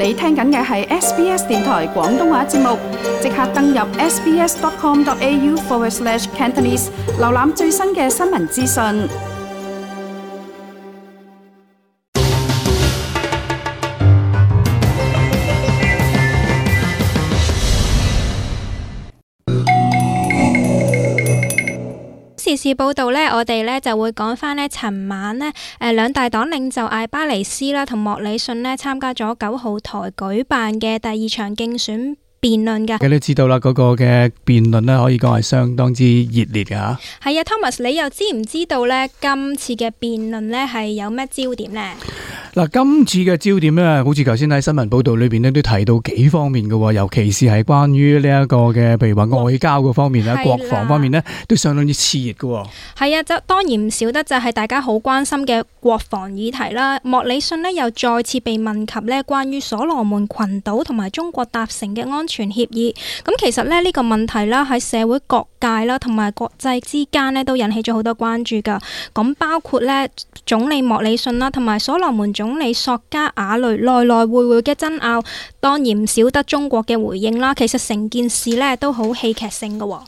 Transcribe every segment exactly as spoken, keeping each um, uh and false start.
你聽緊嘅係 S B S 電台廣東話節目，即刻登入 sbs.com.au forward slash Cantonese， 瀏覽最新嘅新聞資訊。時事報道呢，我哋呢就會講翻呢尋晚呢，誒兩大黨領袖艾巴尼斯啦同莫里遜呢參加咗九號台舉辦嘅第二場競選辯論㗎。你都知道啦，嗰個嘅辯論呢可以講係相當之熱烈嘅嚇。係啊 ，Thomas， 你又知唔知道呢？今次嘅辯論呢係有咩焦點呢？嗱，今次嘅焦點咧，好似頭先喺新聞報道裏邊咧都提到幾方面嘅，尤其是係關於呢一個嘅，譬如話外交嗰方面咧、國防方面咧，都相當之熾熱嘅。係啊，就當然唔少得就係大家好關心嘅國防議題啦。莫里遜呢又再次被問及呢關於所羅門群島同埋中國達成嘅安全協議。咁其實咧呢個問題啦喺社會各界啦同埋國際之間呢都引起咗好多關注㗎。咁包括呢總理莫里遜啦同埋所羅門總理索加瓦雷來來回回嘅爭拗，當然唔少得中國嘅回應啦。其實成件事呢都好戲劇性㗎喎。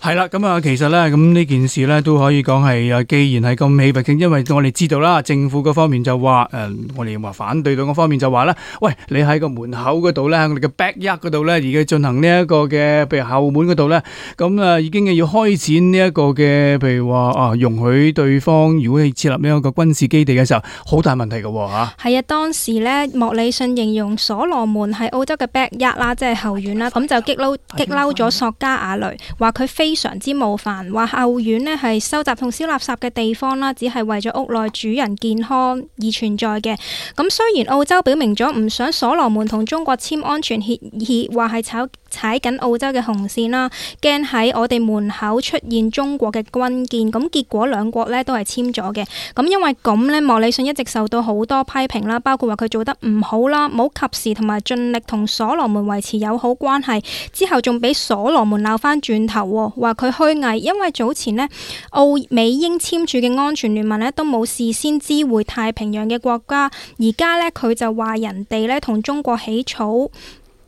係啦，咁啊，其實咧，咁呢件事咧都可以講係啊，既然係咁戲劇性，因為我哋知道啦，政府嗰方面就話，誒、呃，我哋話反對黨嗰方面就話咧，喂，你喺個門口嗰度咧，喺我哋嘅 backyard 嗰度咧，而家進行呢一個嘅，譬如後門嗰度咧，咁啊，已經要開展呢一個嘅，譬如話啊，容許對方如果係設立呢一個軍事基地嘅時候，好大問題㗎喎嚇。係啊，當時咧，莫里遜形容所羅門係澳洲嘅 backyard 啦，即係後院啦，咁就激嬲激嬲咗索加瓦雷，話佢非非常之冒犯，話後院呢係收集同燒垃圾嘅地方啦，只係為咗屋內主人健康而存在嘅。咁雖然澳洲表明咗唔想所羅門同中國簽安全協議，話係踩踩緊澳洲嘅紅線啦，驚喺我哋門口出現中國嘅軍艦。咁結果兩國呢都係簽咗嘅。咁因為咁呢，莫里遜一直受到好多批評啦，包括話佢做得唔好啦，冇及時同埋盡力同所羅門維持友好關係，之後仲俾所羅門鬧翻轉頭，話佢虛偽，因為早前呢澳美英簽署嘅安全聯盟呢都冇事先知會太平洋嘅國家，而家呢，佢就話人哋呢同中國起草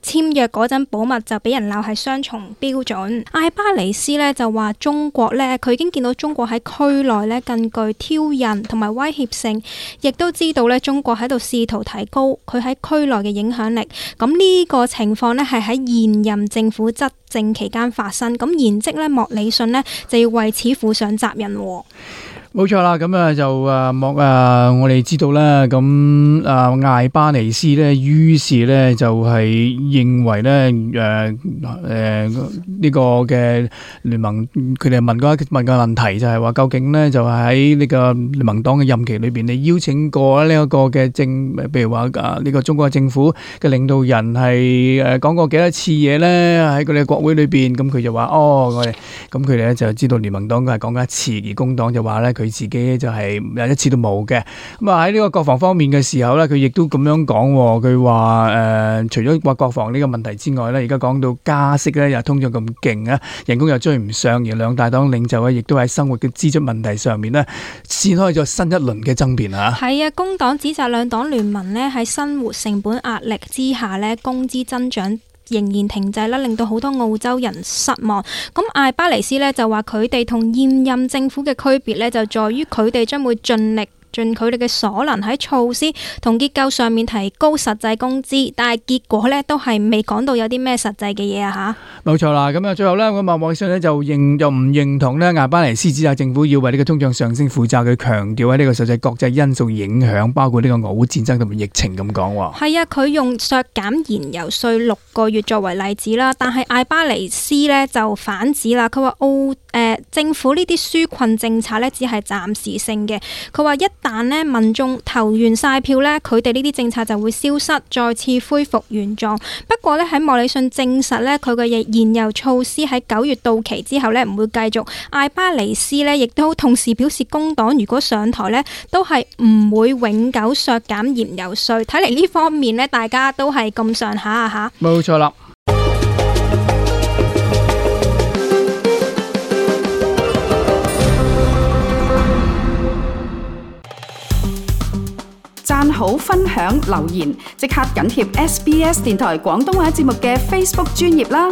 簽約嗰陣保密，就俾人鬧係雙重標準。艾巴尼斯呢就話中國呢，佢已經見到中國喺區內呢更具挑釁同埋威脅性，亦都知道呢中國喺度試圖提高佢喺區內嘅影響力。咁呢個情況呢係喺現任政府執政期間發生，咁現職呢莫里遜呢就要為此負上責任。冇錯啦，咁啊就誒莫啊，我哋知道啦，咁啊艾巴尼斯咧，於是咧就係認為咧誒誒呢個嘅聯盟，佢哋問過一問個問題，就係話究竟咧就喺呢個聯盟黨嘅任期裏邊，你邀請過呢一個嘅政，譬如話啊呢個中國政府嘅領導人係誒講過幾多次嘢咧？喺佢哋國會裏邊，咁佢就話哦，我哋咁佢哋咧就知道聯盟黨佢係講過一次，而工黨就話咧佢自己就係有一次都冇嘅。咁啊喺呢個國防方面嘅時候咧，佢亦都咁樣講，佢話誒除咗話國防呢個問題之外咧，而家講到加息咧，又通脹咁勁啊，人工又追唔上，而兩大黨領袖咧亦都喺生活嘅支出問題上面咧，展開咗新一輪嘅爭辯啊。係啊，工黨指責兩黨聯盟咧喺生活成本壓力之下咧，工資增長仍然停滯啦，令到好多澳洲人失望。咁艾巴尼斯呢就話佢哋同現任政府嘅區別呢，就在於佢哋將會盡力盡佢哋嘅所能喺措施同結構上面提高實際工資，但係結果呢都係未講到有啲咩實際嘅嘢啊吓。冇錯啦，咁啊最後呢，咁啊莫里遜呢就認又唔認同呢艾巴尼斯指責政府要為呢個通脹上升負責，佢強調喺呢個實際國際因素影響，包括呢個俄烏戰爭同埋疫情咁講喎。係啊，佢用削減燃油稅六個月作為例子啦，但係艾巴尼斯呢就反指啦，佢話澳誒、呃、政府呢啲紓困政策呢只係暫時性嘅，佢話一但呢民眾投完晒票呢，佢哋呢啲政策就會消失，再次恢復原狀。不過呢，喺莫里遜證實呢，佢嘅現有措施喺九月到期之後呢唔會繼續。艾巴尼斯呢亦都同時表示，工黨如果上台呢，都係唔會永久削減燃油稅。睇嚟呢方面呢，大家都係咁上下啊吓。冇錯啦。讚好、分享、留言，即刻緊貼 S B S 電台廣東話節目嘅 Facebook 專頁啦！